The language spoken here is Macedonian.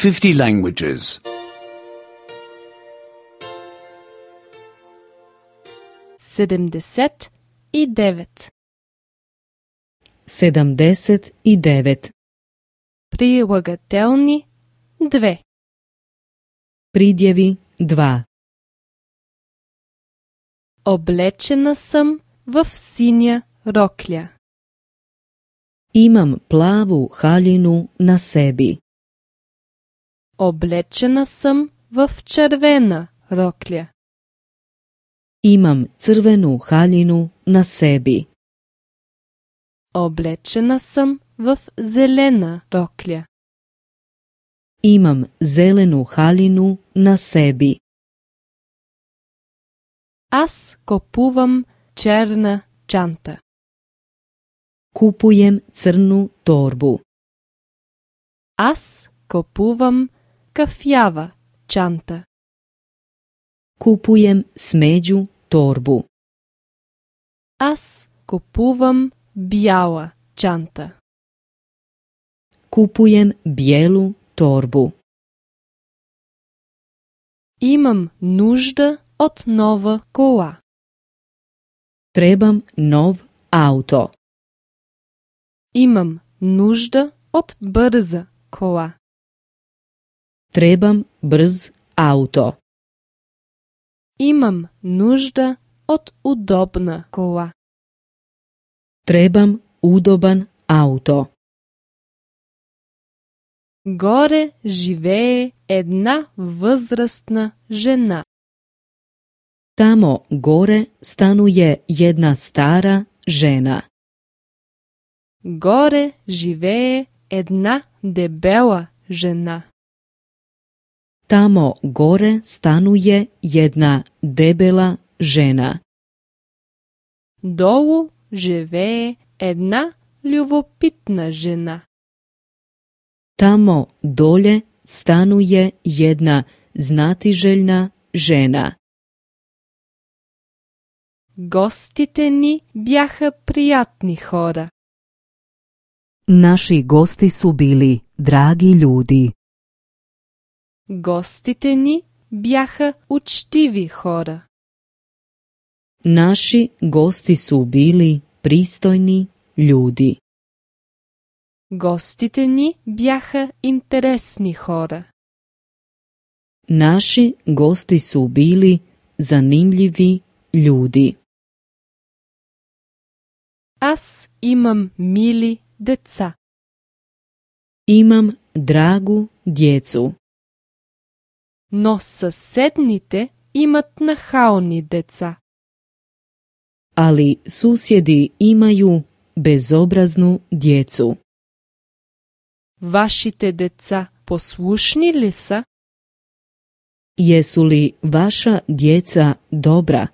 50 languages. 79. 79. Прилагателни 2. Придјеви 2. Облечена сам в сиња роклја. Имам плаву хаљину на себи. Облечена сам в червена роклја. Имам црвену хаљину на себи. Облечена сам в зелена роклја. Имам зелену хаљину на себи. Аз купувам черна чанта. Купуjem црну торбу. Аз купувам кафјава чанта. Купуjem смеđu торбу. Аз купувам бјала чанта. Купуjem бијелу торбу. Имам нужда од нова кола. Требам нов ауто. Имам нужда од брза кола. Требам брз ауто. Имам нужда од удобна кола. Требам удобан ауто. Горе живее една возрастна жена. Тамо горе станује една стара жена. Горе живее една дебела жена. Тамо горе станује една дебела жена. Долу живее една љубопитна жена. Тамо доле станује една знатижељна жена. Гостите ни бяха пријатни хора. Наши гости су били драги људи. Гостите ни бяха учтиви хора. Наши гости су били пристојни људи. Гостите ни бяха интересни хора. Наши гости су били занимљиви људи. Аз имам мили деца. Имам драгу дјецу. Но соседните имат нахални деца. Али сусједи имају безобразну дјецу. Вашите деца послушни ли са? Јесу ли ваша дјеца добра?